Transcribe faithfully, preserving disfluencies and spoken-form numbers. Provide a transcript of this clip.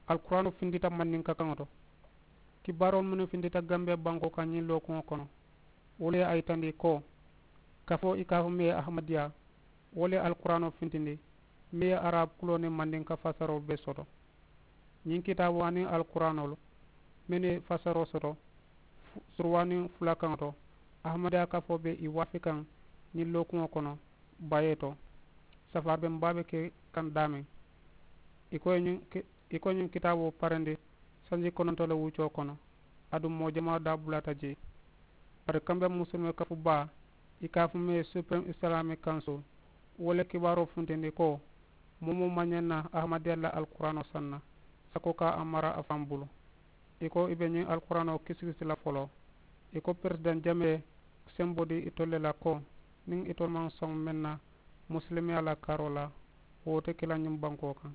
Alkuraanoo fintita mandinka kaŋo to. Kibaaroolu mennu fintita gambiya bankoo kaŋ ñiŋ lookuŋo kono, wolu ye a yitandi ko kafoo i ka a fo meŋ ye ahamadiyaa, wolu ye alkuraanoo fintindi meŋ ye araabu kuloo niŋ mandinka fasaroo bee soto. Ñiŋ kitaaboo aniŋ alkuraanoolu mennu ye fasaroo soto suruwaaniŋ fula kaŋo to, ahamadiyaa kafoo be i waafi kaŋ ñiŋ lookuŋo kono bayee to. Safaari be mbaa be ke kaŋ daameŋ. I ko ñiŋ kitaaboo parendi sanji kononto le wuccoo kono, aduŋ moo jamaa daabulaata jee. Bari kambe musulime kafu baa i ka a fo meŋ ye supirimu islaami kansu, wo le kibaaroo funtindi ko moo moo maŋ ñaŋ na ahamadiya la alkuraanoo sanna sako ka a mara a faŋ bulu. I ko i be ñiŋ alkuraanoo kisikisi la foloo. I ko peresidaŋ jamee semboo di itolu le la ko niŋ itolu maŋ soŋ meŋ na musilimiyaa la karoo la, wo te ke la ñiŋ bankoo kaŋ.